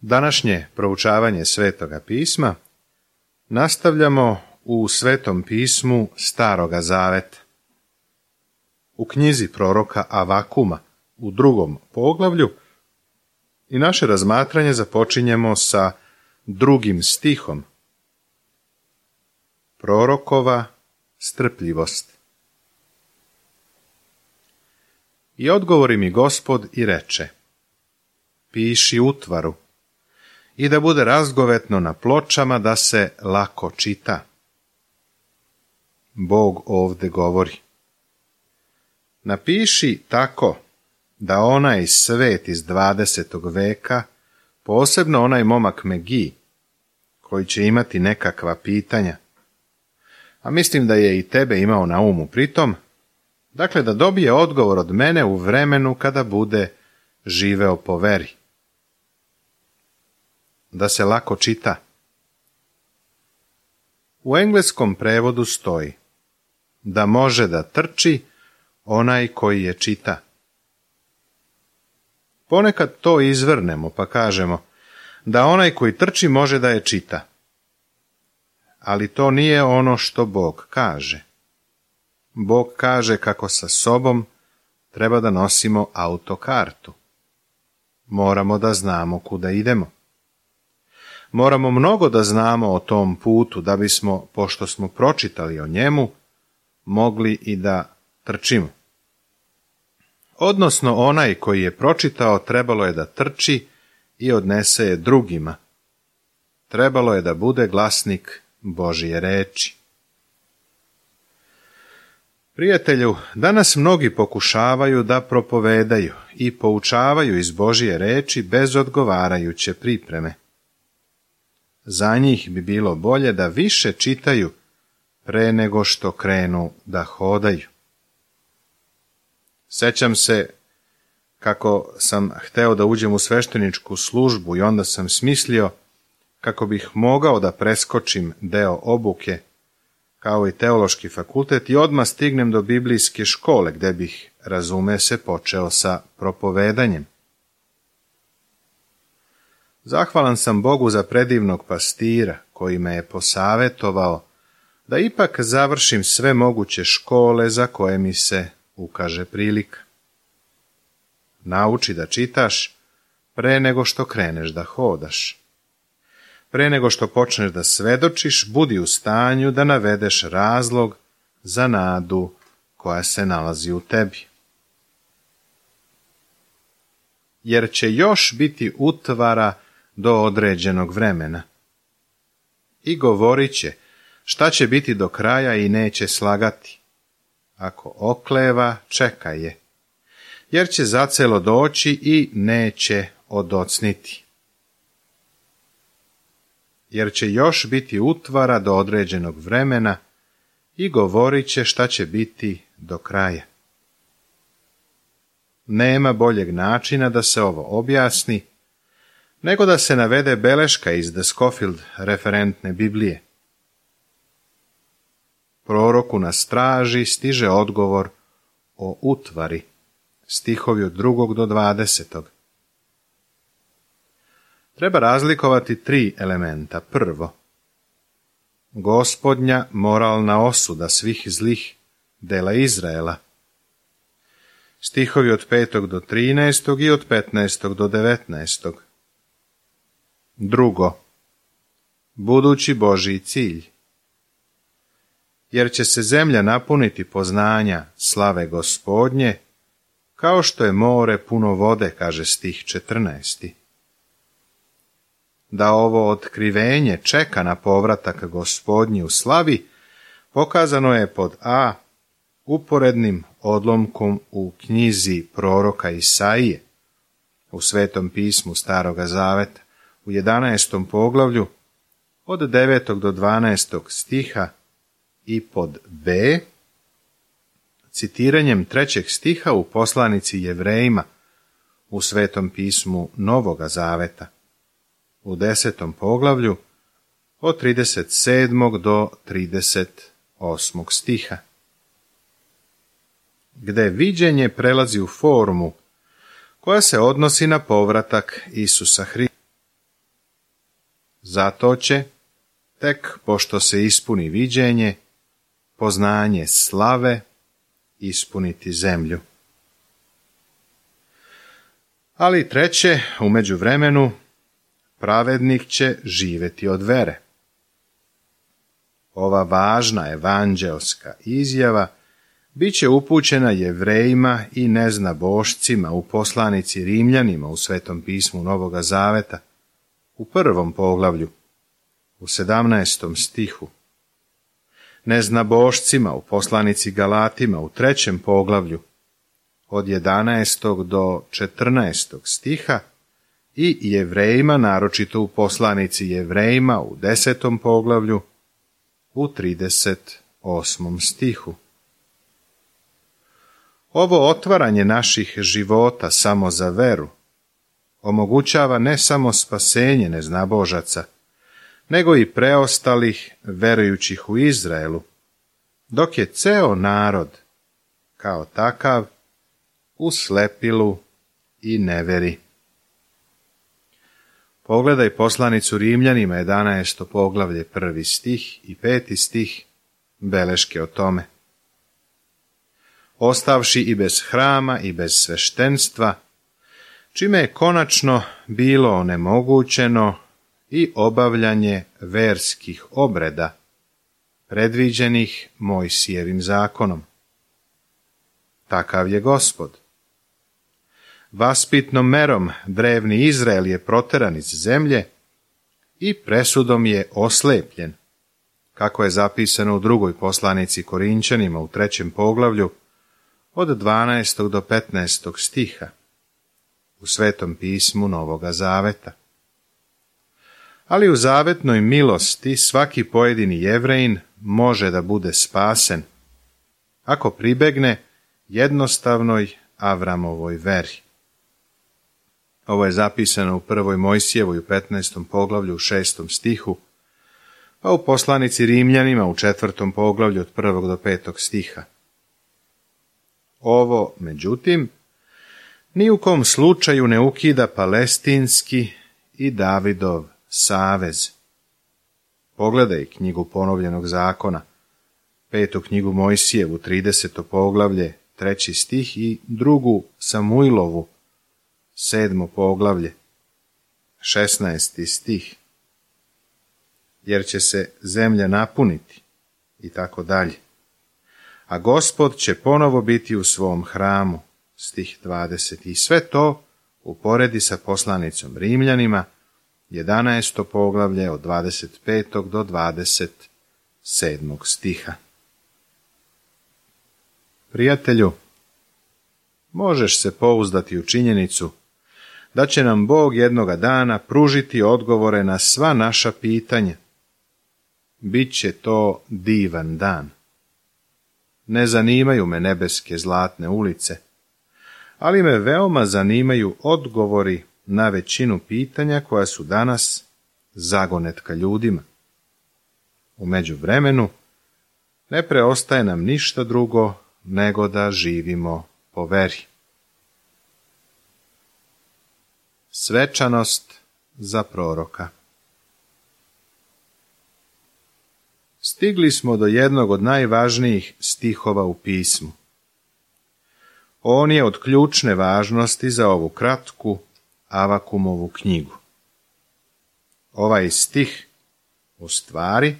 Današnje proučavanje Svetoga pisma nastavljamo u Svetom pismu Staroga zaveta. U knjizi proroka Avakuma u 2. poglavlju i naše razmatranje započinjemo sa 2. stihom. Prorokova strpljivost. I odgovori mi Gospod i reče: piši utvaru, i da bude razgovetno na pločama, da se lako čita. Bog ovde govori: napiši tako da onaj svet iz 20. veka, posebno onaj momak Megi, koji će imati nekakva pitanja, a mislim da je i tebe imao na umu pritom, dakle da dobije odgovor od mene u vremenu kada bude živeo po veri. Da se lako čita. U engleskom prevodu stoji da može da trči onaj koji je čita. Ponekad to izvrnemo pa kažemo da onaj koji trči može da je čita. Ali to nije ono što Bog kaže. Bog kaže kako sa sobom treba da nosimo autokartu. Moramo da znamo kuda idemo. Moramo mnogo da znamo o tom putu da bismo, pošto smo pročitali o njemu, mogli i da trčimo. Odnosno, onaj koji je pročitao trebalo je da trči i odnese je drugima. Trebalo je da bude glasnik Božije reči. Prijatelju, danas mnogi pokušavaju da propovedaju i poučavaju iz Božije reči bez odgovarajuće pripreme. Za njih bi bilo bolje da više čitaju pre nego što krenu da hodaju. Sećam se kako sam hteo da uđem u svešteničku službu i onda sam smislio kako bih mogao da preskočim deo obuke, kao i teološki fakultet, i odmah stignem do biblijske škole, gde bih, razume se, počeo sa propovedanjem. Zahvalan sam Bogu za predivnog pastira koji me je posavetovao da ipak završim sve moguće škole za koje mi se ukaže prilika. Nauči da čitaš pre nego što kreneš da hodaš. Pre nego što počneš da svedočiš, budi u stanju da navedeš razlog za nadu koja se nalazi u tebi. Jer će još biti utvara do određenog vremena. I govorit će šta će biti do kraja i neće slagati. Ako okleva, čekaj je, jer će zacelo doći i neće odocniti. Jer će još biti utvara do određenog vremena i govorit će šta će biti do kraja. Nema boljeg načina da se ovo objasni nego da se navede beleška iz The Scofield referentne Biblije. Proroku na straži stiže odgovor o utvari, stihovi od 2. do 20. Treba razlikovati 3 elementa. Prvo, Gospodnja moralna osuda svih zlih dela Izraela, stihovi od 5. do 13. i od 15. do 19. Drugo, budući Božji cilj, jer će se zemlja napuniti poznanja slave Gospodnje, kao što je more puno vode, kaže stih 14. Da ovo otkrivenje čeka na povratak Gospodnji u slavi, pokazano je pod a. uporednim odlomkom u knjizi proroka Isaije, u Svetom pismu Staroga zaveta, u 11. poglavlju, od 9. do 12. stiha, i pod b. citiranjem 3. stiha u poslanici Jevrejima, u Svetom pismu Novoga zaveta, u 10. poglavlju, od 37. do 38. stiha, gde viđenje prelazi u formu koja se odnosi na povratak Isusa Hrista. Zato će, tek pošto se ispuni viđenje, poznanje slave ispuniti zemlju. Ali treće, u međuvremenu, pravednik će živjeti od vere. Ova važna evanđeoska izjava bit će upućena Jevrejima i neznabošcima u poslanici Rimljanima u Svetom pismu Novoga Zaveta, u 1. poglavlju, u 17. stihu, neznabošcima u poslanici Galatima u 3. poglavlju, od 11. do 14. stiha, i Jevrejima, naročito u poslanici Jevrejima u 10. poglavlju, u 38. stihu. Ovo otvaranje naših života samo za veru omogućava ne samo spasenje neznabožaca, nego i preostalih verujućih u Izraelu, dok je ceo narod, kao takav, u slepilu i neveri. Pogledaj poslanicu Rimljanima 11. poglavlje 1. stih i 5. stih, beleške o tome. Ostavši i bez hrama i bez sveštenstva, čime je konačno bilo onemogućeno i obavljanje verskih obreda, predviđenih Mojsijevim zakonom. Takav je Gospod. Vaspitnom merom drevni Izrael je proteran iz zemlje i presudom je oslepljen, kako je zapisano u 2. poslanici Korinčanima u 3. poglavlju od 12. do 15. stiha u Svetom pismu Novoga Zaveta. Ali u zavetnoj milosti svaki pojedini Jevrejin može da bude spasen ako pribegne jednostavnoj Avramovoj veri. Ovo je zapisano u 1. Mojsijevoj u 15. poglavlju u 6. stihu, pa u poslanici Rimljanima u 4. poglavlju od 1. do 5. stiha. Ovo, međutim, ni u kom slučaju ne ukida palestinski i Davidov savez. Pogledaj knjigu Ponovljenog zakona, 5. knjigu Mojsijevu, 30. poglavlje, 3. stih i 2. Samuilovu, 7. poglavlje, 16. stih. Jer će se zemlja napuniti i tako dalje. A Gospod će ponovo biti u svom hramu, stih 20. I sve to uporedi sa poslanicom Rimljanima, 11. poglavlje od 25. do 27. stiha. Prijatelju, možeš se pouzdati u činjenicu da će nam Bog jednoga dana pružiti odgovore na sva naša pitanja. Biće to divan dan. Ne zanimaju me nebeske zlatne ulice, ali me veoma zanimaju odgovori na većinu pitanja koja su danas zagonetka ljudima. U međuvremenu ne preostaje nam ništa drugo nego da živimo po veri. Svečanost za proroka. Stigli smo do jednog od najvažnijih stihova u pismu. On je od ključne važnosti za ovu kratku Avakumovu knjigu. Ovaj stih, u stvari,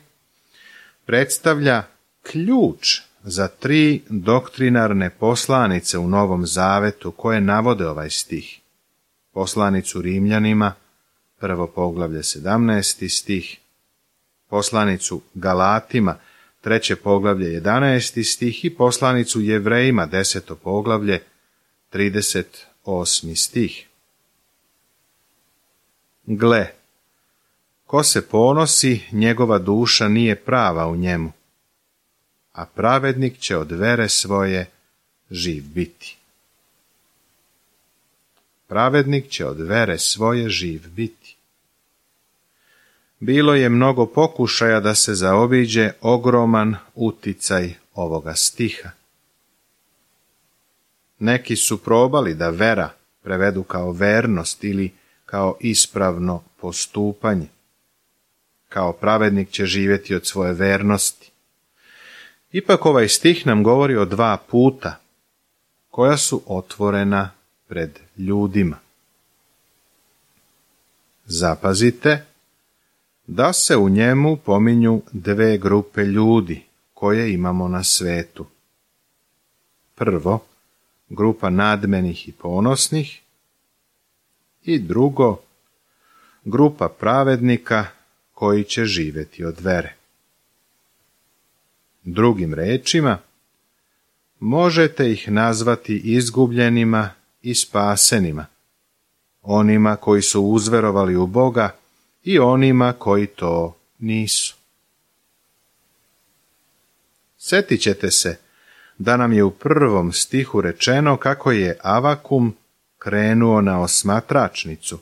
predstavlja ključ za 3 doktrinarne poslanice u Novom Zavetu koje navode ovaj stih. Poslanicu Rimljanima, 1. poglavlje 17. stih, poslanicu Galatima, 3. poglavlje 11. stih i poslanicu Jevrejima, 10. poglavlje 38. stih. Gle, ko se ponosi, njegova duša nije prava u njemu, a pravednik će od vere svoje živ biti. Pravednik će od vere svoje živ biti. Bilo je mnogo pokušaja da se zaobiđe ogroman uticaj ovoga stiha. Neki su probali da vera prevedu kao vernost ili kao ispravno postupanje. kao pravednik će živjeti od svoje vernosti. Ipak ovaj stih nam govori o dva puta, koja su otvorena pred ljudima. Zapazite da se u njemu pominju dve grupe ljudi koje imamo na svetu. Prvo, grupa nadmenih i ponosnih, i drugo, grupa pravednika koji će živjeti od vere. Drugim rečima, možete ih nazvati izgubljenima i spasenima, onima koji su uzverovali u Boga i onima koji to nisu. Sjetit ćete se da nam je u 1. stihu rečeno kako je Avakum krenuo na osmatračnicu,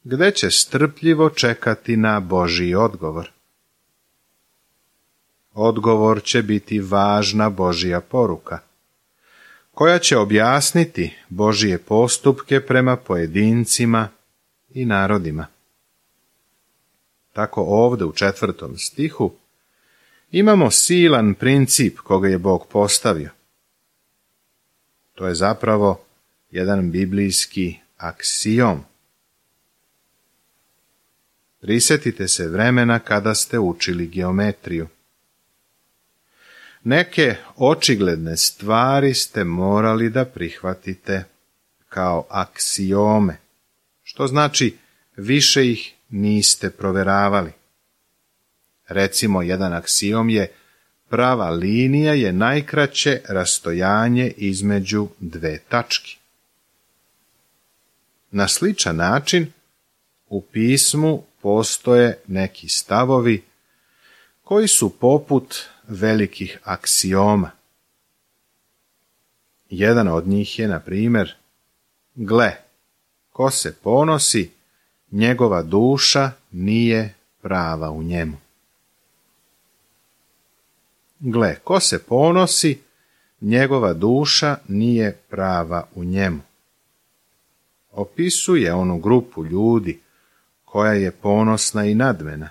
gdje će strpljivo čekati na Božji odgovor. Odgovor će biti važna Božja poruka, koja će objasniti Božje postupke prema pojedincima i narodima. Tako ovdje u 4. stihu imamo silan princip koga je Bog postavio. To je zapravo jedan biblijski aksiom. Prisjetite se vremena kada ste učili geometriju. Neke očigledne stvari ste morali da prihvatite kao aksiome, što znači više ih niste proveravali. Recimo, jedan aksiom je: prava linija je najkraće rastojanje između dve tačke. Na sličan način u pismu postoje neki stavovi koji su poput velikih aksioma. Jedan od njih je, na primjer, gle, ko se ponosi, njegova duša nije prava u njemu. Gle, ko se ponosi, njegova duša nije prava u njemu. Opisuje onu grupu ljudi koja je ponosna i nadmena.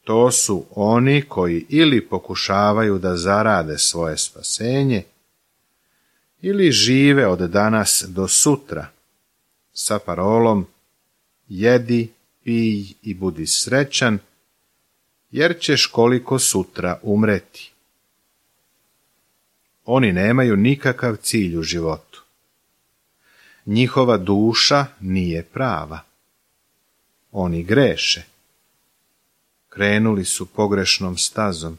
To su oni koji ili pokušavaju da zarade svoje spasenje, ili žive od danas do sutra sa parolom jedi, pij i budi srećan, jer ćeš koliko sutra umreti. Oni nemaju nikakav cilj u životu. Njihova duša nije prava. Oni greše. Krenuli su pogrešnom stazom.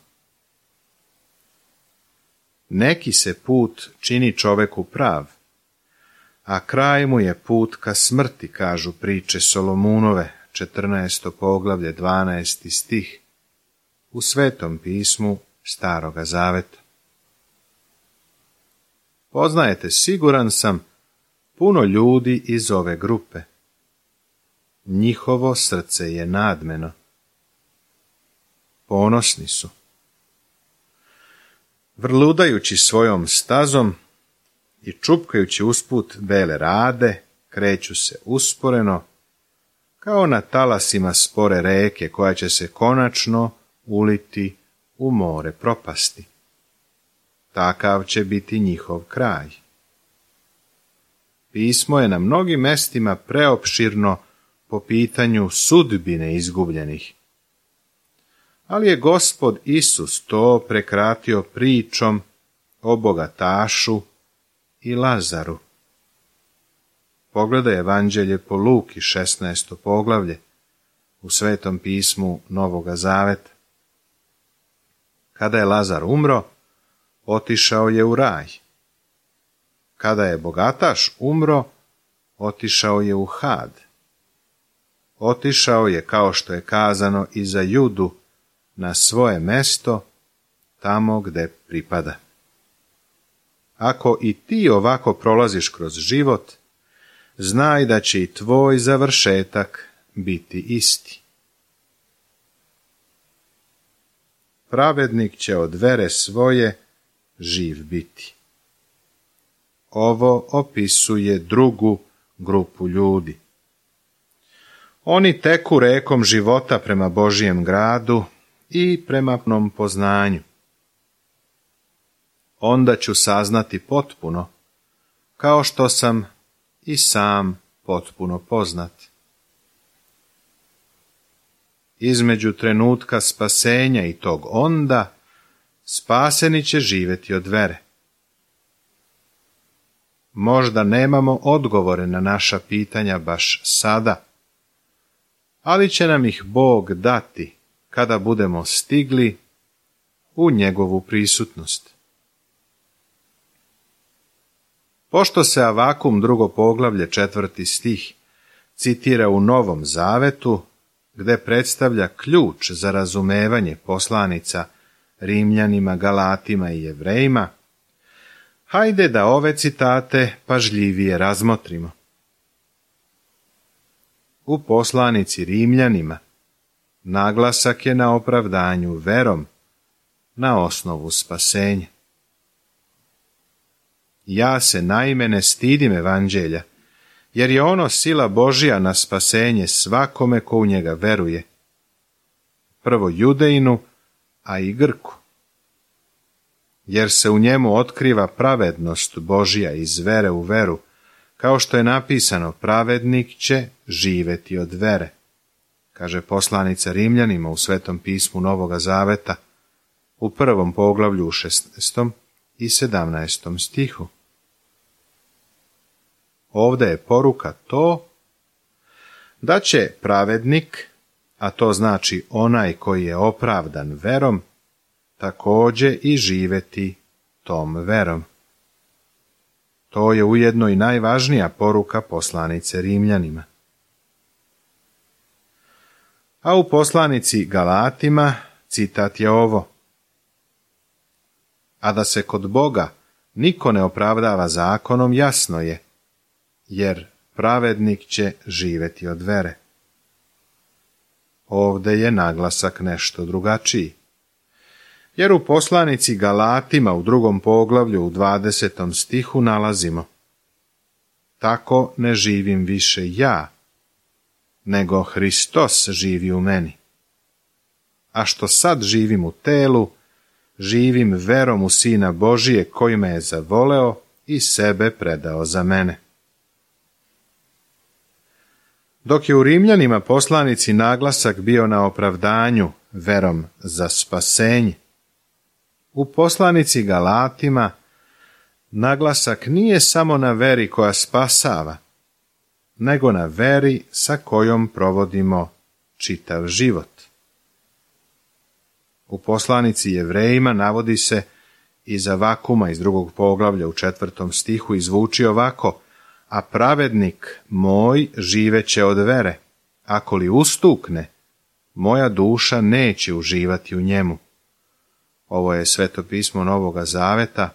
Neki se put čini čoveku prav, a kraj mu je put ka smrti, kažu priče Solomunove, 14. poglavlje, 12. stih, u Svetom pismu Staroga Zaveta. Poznajete, siguran sam, puno ljudi iz ove grupe. Njihovo srce je nadmeno. Ponosni su. Vrludajući svojom stazom i čupkajući usput bele rade, kreću se usporeno, kao na talasima spore reke koja će se konačno uliti u more propasti. Takav će biti njihov kraj. Pismo je na mnogim mestima preopširno po pitanju sudbine izgubljenih, ali je Gospod Isus to prekratio pričom o bogatašu i Lazaru. Pogledaj Evanđelje po Luki, 16. poglavlje, u Svetom pismu Novoga Zaveta. Kada je Lazar umro, otišao je u raj. Kada je bogataš umro, otišao je u Had. Otišao je, kao što je kazano, i za Judu na svoje mesto, tamo gde pripada. Ako i ti ovako prolaziš kroz život, znaj da će i tvoj završetak biti isti. Pravednik će od vere svoje živ biti. Ovo opisuje drugu grupu ljudi. Oni teku rekom života prema Božijem gradu i prema pnom poznanju. Onda ću saznati potpuno, kao što sam i sam potpuno poznat. Između trenutka spasenja i tog onda, spaseni će živjeti od vere. Možda nemamo odgovore na naša pitanja baš sada, ali će nam ih Bog dati kada budemo stigli u njegovu prisutnost. Pošto se Avakum 2. poglavlje 4. stih citira u Novom Zavetu, gde predstavlja ključ za razumevanje poslanica Rimljanima, Galatima i Jevrejima, hajde da ove citate pažljivije razmotrimo. U poslanici Rimljanima naglasak je na opravdanju verom na osnovu spasenja. Ja se naime ne stidim evanđelja, jer je ono sila Božja na spasenje svakome ko u njega veruje, prvo Judejinu, a i Grku. Jer se u njemu otkriva pravednost Božja iz vere u veru, kao što je napisano, pravednik će živjeti od vere, kaže poslanica Rimljanima u Svetom pismu Novoga Zaveta, u 1. poglavlju u 16. i 17. stihu. Ovdje je poruka to da će pravednik, a to znači onaj koji je opravdan verom, također i živjeti tom verom. To je ujedno i najvažnija poruka poslanice Rimljanima. A u poslanici Galatima citat je ovo: a da se kod Boga niko ne opravdava zakonom, jasno je, jer pravednik će živjeti od vere. Ovdje je naglasak nešto drugačiji. Jer u poslanici Galatima u 2. poglavlju u 20. stihu nalazimo: tako ne živim više ja, nego Hristos živi u meni. A što sad živim u telu, živim verom u Sina Božije koji me je zavoleo i sebe predao za mene. Dok je u Rimljanima poslanici naglasak bio na opravdanju verom za spasenje, u poslanici Galatima naglasak nije samo na veri koja spasava, nego na veri sa kojom provodimo čitav život. U poslanici Jevrejima navodi se iz Avakuma iz 2. poglavlja u 4. stihu i zvuči ovako: a pravednik moj živeće od vere, ako li ustukne, moja duša neće uživati u njemu. Ovo je Sveto pismo Novoga Zaveta,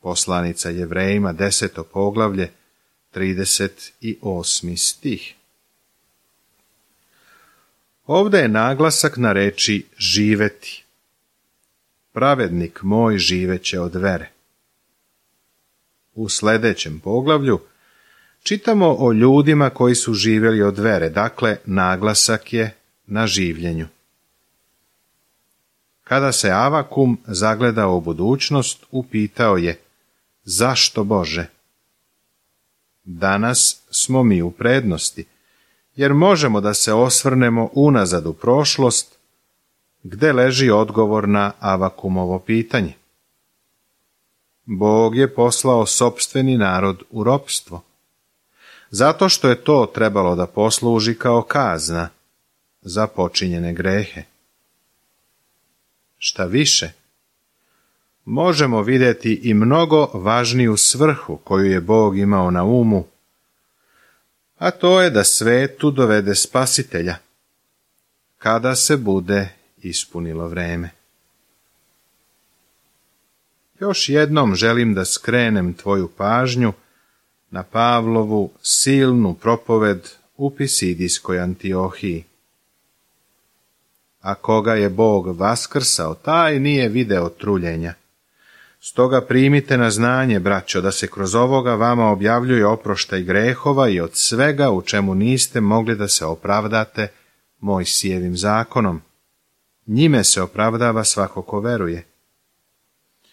poslanica Jevrejima 10. poglavlje, 38. stih. Ovdje je naglasak na reči živeti. Pravednik moj živeće od vere. U sljedećem poglavlju čitamo o ljudima koji su živjeli od vere, dakle naglasak je na življenju. Kada se Avakum zagledao u budućnost, upitao je: zašto Bože? Danas smo mi u prednosti, jer možemo da se osvrnemo unazad u prošlost, gde leži odgovor na Avakumovo pitanje. Bog je poslao sopstveni narod u ropstvo, zato što je to trebalo da posluži kao kazna za počinjene grehe. Šta više, možemo vidjeti i mnogo važniju svrhu koju je Bog imao na umu, a to je da svetu dovede spasitelja, kada se bude ispunilo vreme. Još jednom želim da skrenem tvoju pažnju na Pavlovu silnu propoved u Pisidijskoj Antiohiji. A koga je Bog vaskrsao, taj nije video truljenja. Stoga primite na znanje, braćo, da se kroz ovoga vama objavljuje oproštaj grehova i od svega u čemu niste mogli da se opravdate Mojsijevim zakonom. Njime se opravdava svako ko veruje.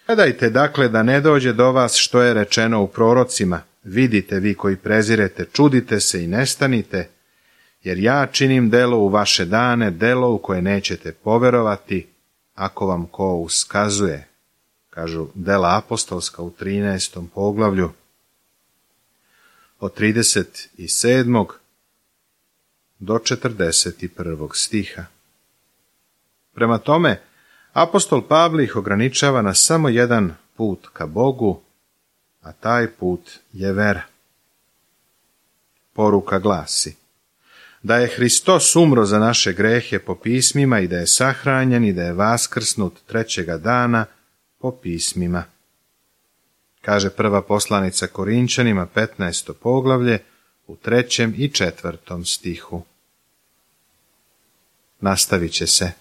Gledajte dakle da ne dođe do vas što je rečeno u prorocima, vidite vi koji prezirete, čudite se i nestanite, jer ja činim delo u vaše dane, delo u koje nećete poverovati, ako vam ko uskazuje. Kažu Dela apostolska u 13. poglavlju, od 37. do 41. stiha. Prema tome, apostol Pavle ih ograničava na samo jedan put ka Bogu, a taj put je vera. Poruka glasi da je Hristos umro za naše grehe po pismima i da je sahranjen i da je vaskrsnut trećega dana po pismima. Kaže prva poslanica Korinčanima 15. poglavlje u 3. i 4. stihu. Nastavit će se.